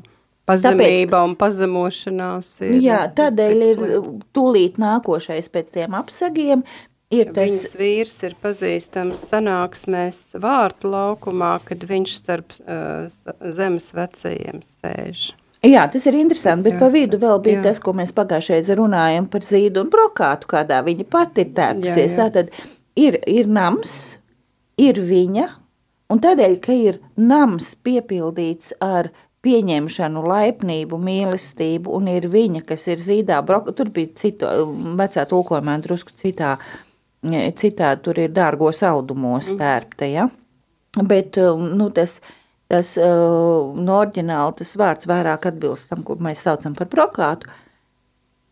Pazemība un pazemošanās ir. Jā, tādēļ ir tūlīt nākošais pēc tiem apsagiem. Viņas vīrs ir pazīstams sanāksmēs Vārtu laukumā, kad viņš starp zemes vecajiem sēž. Jā, tas ir interesanti, bet pa vidu vēl bija tas, ko mēs pagājušreiz runājam par Zīdu un Brokātu, kādā viņa pati ir tērpusies. Tātad ir nams, ir viņa, un tādēļ, ka ir nams piepildīts ar pieņemšanu, laipnību, mīlestību, un ir viņa, kas ir Zīdā, tur bija cita, vecā tulkojumā drusku citā, tur ir dārgos audumos tērpta, ja? Bet, tas no oriģināli tas vārds vairāk atbilst tam, ko mēs saucam par Brokātu.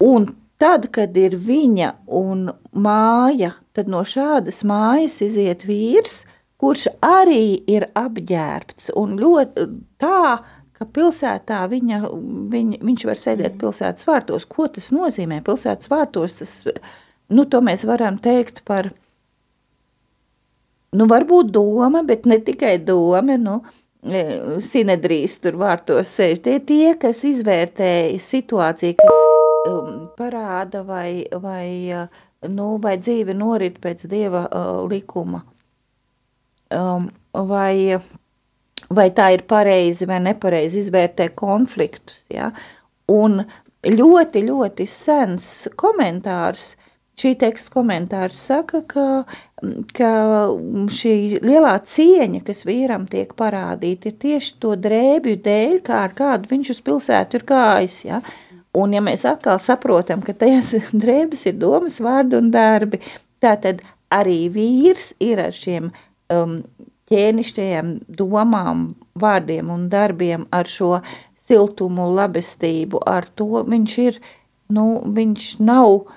Un tad, kad ir viņa un māja, tad no šādas mājas iziet vīrs, kurš arī ir apģērbts un ļoti tā, ka pilsētā viņš var sēdēt pilsētas vārtos. Ko tas nozīmē? Pilsētas vārtos, to mēs varam teikt par, varbūt doma, bet ne tikai doma, Sinedrīs tur vārtos sēž. Tie, kas izvērtē situāciju, kas parāda vai dzīve norit pēc Dieva likuma. Vai tā ir pareizi vai nepareizi izvērtē konfliktus. Ja? Un ļoti, ļoti sens komentārs, šī teksta komentārs saka, ka šī lielā cieņa, kas vīram tiek parādīta, ir tieši to drēbju dēļ, kā ar kādu viņš uz pilsētu ir gājis. Ja? Un ja mēs atkal saprotam, ka tajās drēbes ir domas, vārdi un darbi, tātad arī vīrs ir ar šiem ķēnišķajiem domām, vārdiem un darbiem, ar šo siltumu, labestību, ar to viņš ir, viņš nav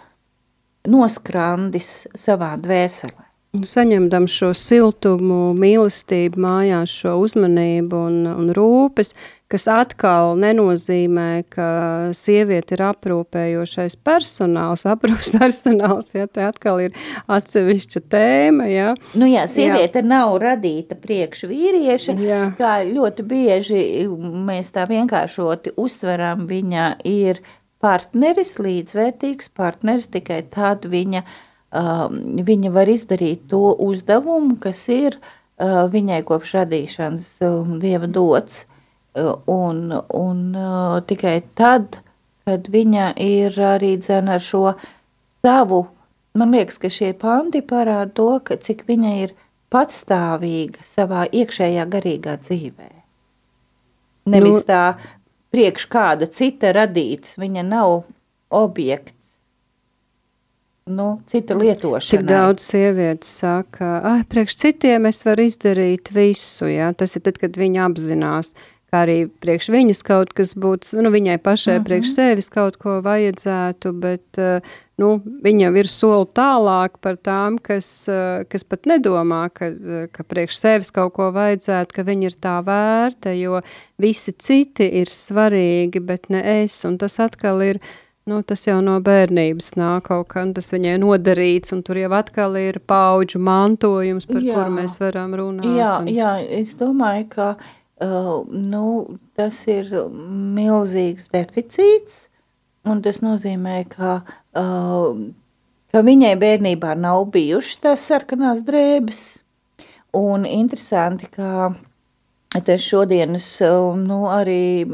noskrandis savā dvēselē. Saņemdam šo siltumu, mīlestību mājās, šo uzmanību un rūpes, kas atkal nenozīmē, ka sieviete ir aprūpējošais personāls, ja te atkal ir atsevišķa tēma, ja. Sieviete nav radīta priekš vīrieša, kā ļoti bieži mēs tā vienkāršoti uztveram, viņa ir partneris, līdzvērtīgs partneris, tikai tad viņa var izdarīt to uzdevumu, kas ir viņai kopš radīšanas Dieva dots. Un tikai tad, kad viņa ir arī ar šo savu, man liekas, ka šie panti parāda to, ka cik viņa ir patstāvīga savā iekšējā garīgā dzīvē. Nevis tā priekš kāda cita radīts, viņa nav objekts. Cita lietošanai. Cik daudz sievietes saka, priekš citiem es varu izdarīt visu, ja? Tas ir tad, kad viņa apzinās, kā arī priekš viņas kaut kas būtu, viņai pašai priekš sevis kaut ko vajadzētu, bet, viņa ir soli tālāk par tām, kas pat nedomā, ka priekš sevis kaut ko vajadzētu, ka viņa ir tā vērta, jo visi citi ir svarīgi, bet ne es, un tas atkal ir, tas jau no bērnības nāk kaut kā, un tas viņai nodarīts, un tur jau atkal ir paudžu mantojums, par kuru mēs varam runāt. Jā, es domāju, ka tas ir milzīgs deficīts, un tas nozīmē, ka viņai bērnībā nav bijušas tās sarkanās drēbes, un interesanti, ka tas šodienas arī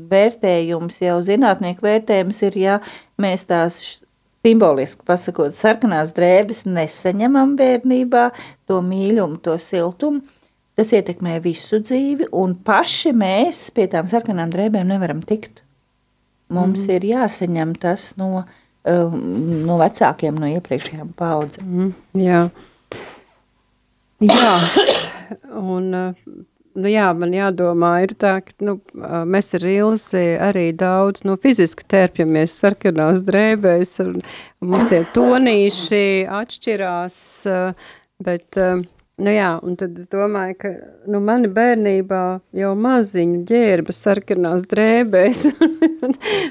vērtējums, jau zinātnieku vērtējums ir, ja mēs tās simboliski pasakot, sarkanās drēbes nesaņemam bērnībā, to mīļumu, to siltumu, tas ietekmē visu dzīvi, un paši mēs pie tām sarkanām drēbēm nevaram tikt. Mums ir jāsaņem tas no vecākiem, no iepriekšējām paudzēm. Jā. Jā, un, nu jā, man jādomā ir tā, ka, mēs ar Ilzi arī daudz, fiziski terpjamies sarkanās drēbēs, un mums tie tonīši atšķirās, bet, jā, un tad es domāju, ka, mani bērnībā jau maziņu ģērba sarkanās drēbēs,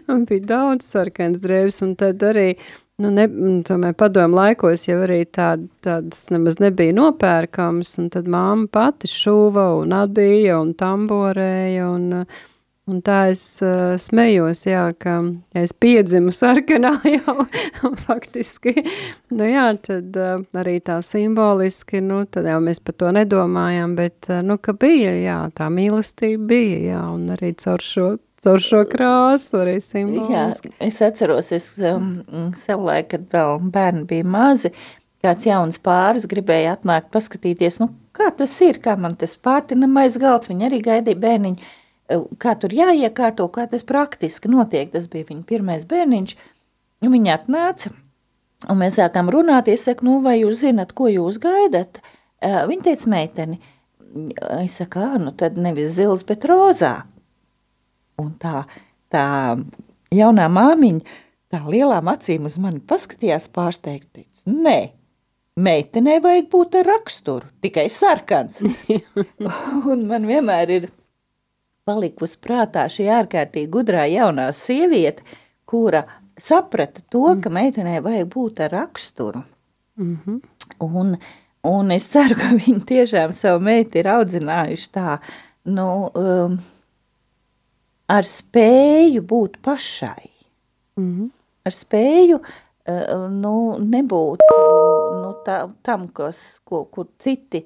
un bija daudz sarkanas drēbes, un tad arī, tomēr padomu laikos jau arī tādas nemaz nebija nopērkams, un tad māma pati šuva un adīja un tamborēja, un tā es smējos, jā, ka ja es piedzimu sarkanā jau faktiski, tad arī tā simboliski, tad jau mēs par to nedomājam, bet, ka bija, jā, tā mīlestība bija, jā, un arī caur šo krāsu arī simboliski. Jā, es atceros, savulaik, kad vēl bērni bija mazi, kāds jauns pāris gribēja atnākt paskatīties, kā tas ir, kā man tas pārtinamais galds, viņi arī gaidīja bērniņu, kā tur jāiekārto, kā tas praktiski notiek, tas bija viņa pirmais bērniņš, un viņi atnāca, un mēs sākām runāt, es saku, vai jūs zinat, ko jūs gaidat? Viņa teica meiteni, es saku, tad nevis zils, bet rozā. Un tā jaunā māmiņa, tā lielām acīm uz mani paskatījās pārsteigti, teica, nē, meitenei vajag būt ar raksturu, tikai sarkans. Un man vienmēr ir palikusi prātā šī ārkārtīgi gudrā jaunā sieviete, kura saprata to, ka meitenei vajag būt ar raksturu. Un es ceru, ka viņi tiešām savu meitu ir audzinājuši tā, ar spēju būt pašai, ar spēju nebūt tam, kur citi,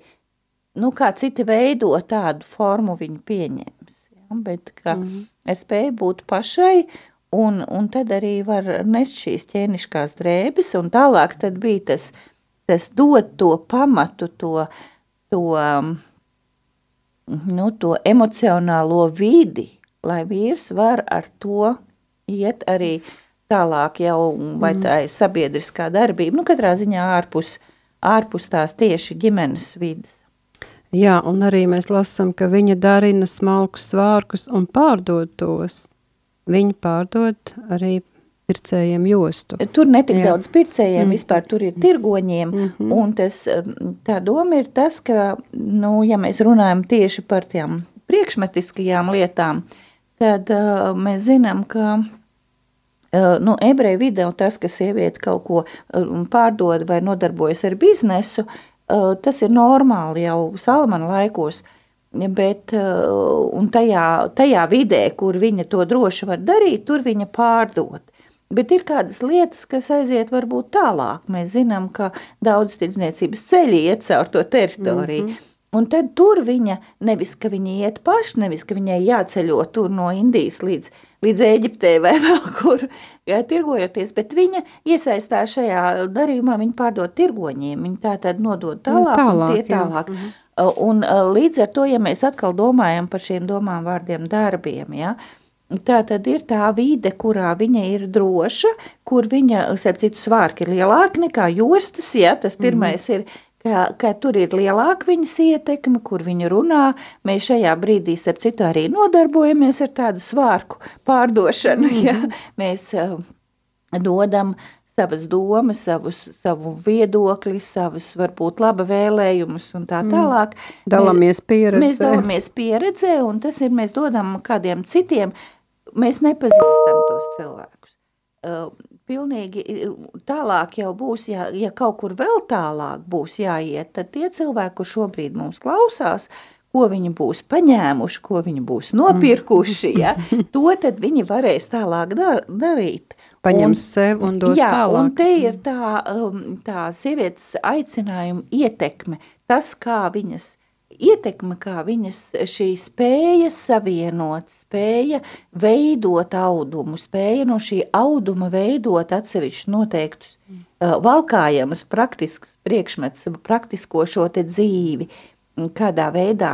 kā citi veido tādu formu viņu pieņems, ja? Bet ar spēju būt pašai, un tad arī var nest šīs ķēniškās drēbes, un tālāk tad bija tas dot to pamatu, to emocionālo vidi, lai vīrs var ar to iet arī tālāk jau, vai tā ir sabiedriskā darbība, katrā ziņā ārpus tās tieši ģimenes vidas. Jā, un arī mēs lasām, ka viņa darina smalkus svārkus un pārdod tos. Viņa pārdod arī pircējiem jostu. Tur netik daudz pircējiem, vispār tur ir tirgoņiem, un tā doma ir tas, ka, ja mēs runājam tieši par tām priekšmetiskajām lietām, tad mēs zinām, ka ebreju vidē tas, ka sieviete kaut ko pārdod vai nodarbojas ar biznesu, tas ir normāli jau Salamana laikos, bet un tajā vidē, kur viņa to droši var darīt, tur viņa pārdod. Bet ir kādas lietas, kas aiziet varbūt tālāk. Mēs zinām, ka daudz tirdzniecības ceļi iet caur to teritoriju. Un tad tur viņa, nevis, ka viņa iet paši, nevis, ka viņai jāceļo tur no Indijas līdz Ēģiptei vai vēl kur, tirgojoties, bet viņa iesaistās šajā darījumā, viņa pārdod tirgoņiem, viņa tā tad nodod tālāk un tie tālāk. Un līdz ar to, ja mēs atkal domājam par šiem domām, vārdiem, darbiem, ja, tā tad ir tā vide, kurā viņa ir droša, kur viņa, citu svārki ir lielāki nekā jostas, ja, tas pirmais ir, ka tur ir lielāka viņas ietekme, kur viņa runā. Mēs šajā brīdī, citu, arī nodarbojamies ar tādu svārku pārdošanu. Ja? Mēs dodam savas domas, savu viedokli, savus varbūt laba vēlējumus un tā tālāk. Dalāmies pieredzē. Mēs dalāmies pieredzē, un tas ir, mēs dodam kādiem citiem, mēs nepazīstam tos cilvēkus. Pilnīgi tālāk jau būs, ja kaut kur vēl tālāk būs jāiet, tad tie cilvēki, kur šobrīd mums klausās, ko viņi būs paņēmuši, ko viņi būs nopirkuši, ja, to tad viņi varēs tālāk darīt. Paņems sev un dos tālāk. Un te ir tā sievietes aicinājuma ietekme, tas, kā viņas ietekme, kā viņas šī spēja savienot, spēja veidot audumu, spēja no šī auduma veidot atsevišķi noteiktus valkājamas praktiskas priekšmetus, praktisko šo te dzīvi, kādā veidā,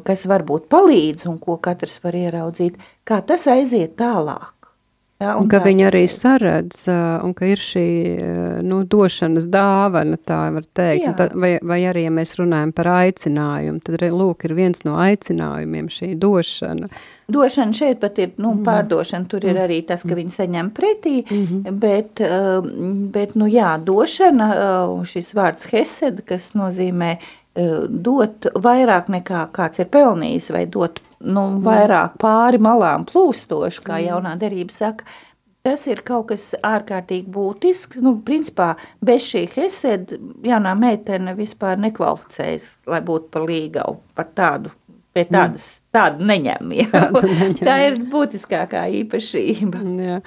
kas varbūt palīdz un ko katrs var ieraudzīt, kā tas aiziet tālāk. Jā, Un ka tā viņi tas arī ir. saredz, un ka ir šī, došanas dāvana, tā var teikt. Jā. Vai arī, ja mēs runājam par aicinājumu, tad lūk, ir viens no aicinājumiem šī došana. Došana šeit pat ir, pārdošana, tur ir arī tas, ka viņi saņem pretī, bet, došana, šis vārds hesed, kas nozīmē dot vairāk nekā kāds ir pelnījis, vai dot vairāk pāri malām plūstoši, kā jaunā derība saka. Tas ir kaut kas ārkārtīgi būtisks. Principā, bez šī hesed jaunā meitene vispār nekvalificējas, lai būtu par līgavu, par tādu, pie tādu neņem. Tā ir būtiskākā īpašība. Jā.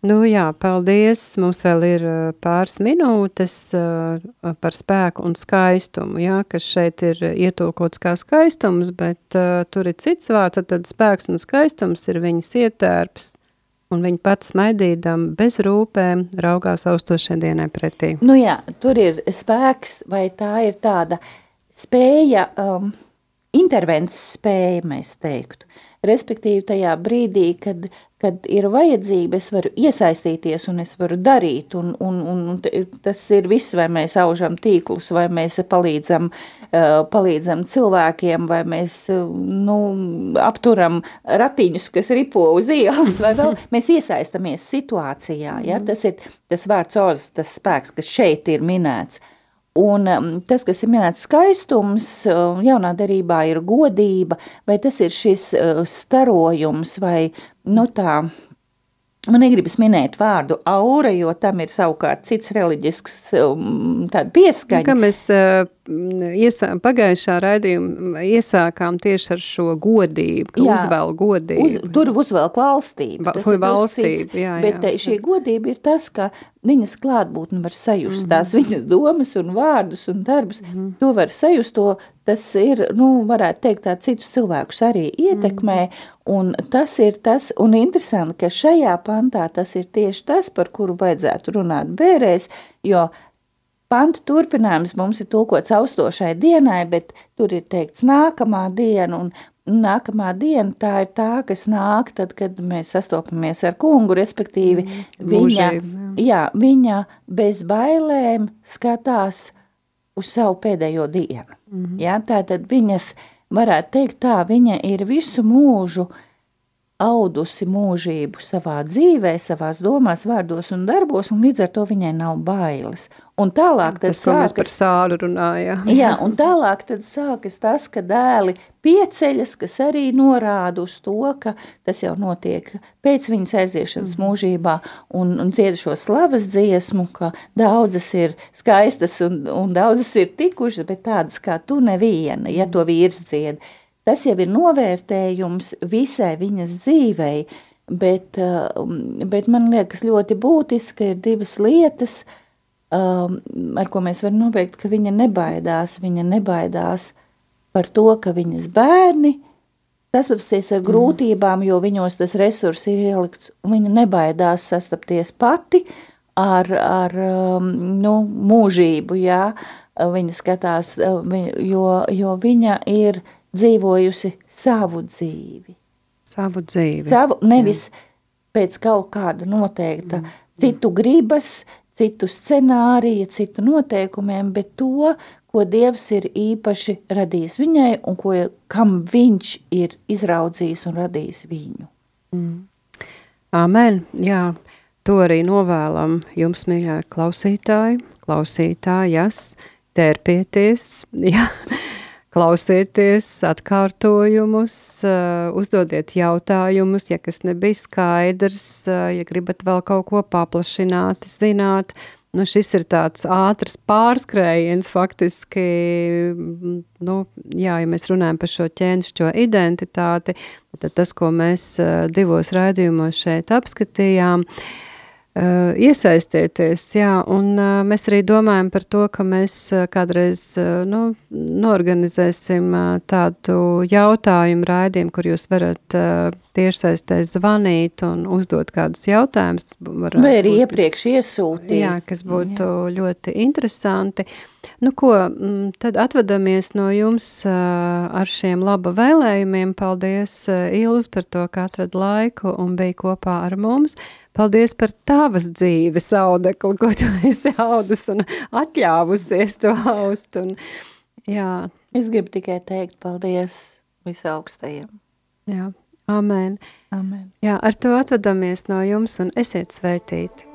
Jā, paldies. Mums vēl ir pāris minūtes par spēku un skaistumu, jā, kas šeit ir ietulkots kā skaistums, bet tur ir cits vārds, tad spēks un skaistums ir viņas ietērps, un viņa pats smaidīdam bez rūpēm raugās austošai dienai pretī. Jā, tur ir spēks, vai tā ir tāda spēja, intervences spēja, mēs teiktu. Respektīvi tajā brīdī, kad ir vajadzība, es varu iesaistīties un es varu darīt, un tas ir viss, vai mēs aužam tīklus, vai mēs palīdzam cilvēkiem, vai mēs apturam ratiņus, kas ripo uz ielas, vai vēl mēs iesaistamies situācijā. Ja? Tas ir tas vārds oz, tas spēks, kas šeit ir minēts. Un tas, kas ir minēts skaistums, jaunā derībā ir godība, vai tas ir šis starojums, vai tā, man negribas minēt vārdu aura, jo tam ir savukārt cits reliģisks tāda pieskaņa. Kā mēs pagājušā raidījuma iesākām tieši ar šo godību, ka uzvēl godību. Tur uzvelk valstību. Valstība, bet šī godība ir tas, ka viņas klātbūtni var sajust, tās viņas domas un vārdus un darbus, to var sajust, tas ir, varētu teikt, tā citus cilvēkus arī ietekmē, un tas ir tas, un interesanti, ka šajā pantā tas ir tieši tas, par kuru vajadzētu runāt bērēs, jo panta turpinājums mums ir tulkots austošai dienai, bet tur ir teikts nākamā diena, un nākamā diena tā ir tā, kas nāk tad, kad mēs sastopamies ar kungu, respektīvi viņa bez bailēm skatās uz savu pēdējo dienu. Ja, tātad viņas, varētu teikt tā, viņa ir visu mūžu audusi mūžību savā dzīvē, savās domās, vārdos un darbos, un līdz ar to viņai nav bailes. Un tālāk tad tas, ko mēs par Sālu runājām. Jā, un tālāk tad sākas tas, ka dēli pieceļas, kas arī norāda uz to, ka tas jau notiek pēc viņas aiziešanas mūžībā, un dzied šo slavas dziesmu, ka daudzas ir skaistas un daudzas ir tikušas, bet tādas kā tu neviena, ja to vīrs dzied. Tas jau ir novērtējums visai viņas dzīvei, bet man liekas ļoti būtiski ir divas lietas, ar ko mēs varam nobeigt, ka viņa nebaidās par to, ka viņas bērni sastapsies ar grūtībām, jo viņos tas resurs ir ielikts, un viņa nebaidās sastapties pati ar mūžību, jā, viņa skatās, jo viņa ir dzīvojusi savu dzīvi. Nevis pēc kaut kāda noteikta citu gribas, citu scenārija, citu noteikumiem, bet to, ko Dievs ir īpaši radījis viņai un kam viņš ir izraudzījis un radījis viņu. Amen. Jā, to arī novēlam jums, mīļā klausītājas, tērpieties, jā. Klausieties atkārtojumus, uzdodiet jautājumus, ja kas nebija skaidrs, ja gribat vēl kaut ko paplašināt, zināt. Šis ir tāds ātrs pārskrējiens faktiski, ja mēs runājam par šo ķēnišķo identitāti, tad tas, ko mēs divos raidījumos šeit apskatījām, iesaistieties, jā, un mēs arī domājam par to, ka mēs kādreiz norganizēsim tādu jautājumu raidījumu, kur jūs varat tiešsaistē zvanīt un uzdot kādus jautājumus. Vai arī iepriekš iesūtīt. Jā, kas būtu ļoti interesanti. Nu ko, tad atvadamies no jums ar šiem laba vēlējumiem. Paldies, Ilz, par to, ka atrad laiku un bija kopā ar mums. Paldies par tavas dzīves audekli, ko tu esi audus un atļāvusies to aust. Un, jā. Es gribu tikai teikt paldies visaugstajiem. Jā, amen. Amen. Jā, ar to atvadamies no jums un esiet sveitīti.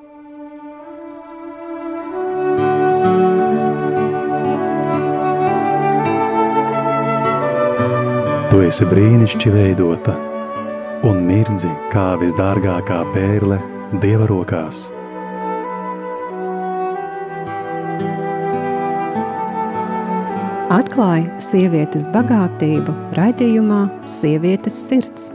Tu esi brīnišķīgi veidota un mirdzi kā visdārgākā pērle Dieva rokās. Atklāja sievietes bagātību raidījumā Sievietes sirds.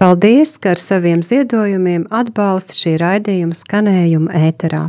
Paldies, ka ar saviem ziedojumiem atbalsta šī raidījuma skanējumu ēterā.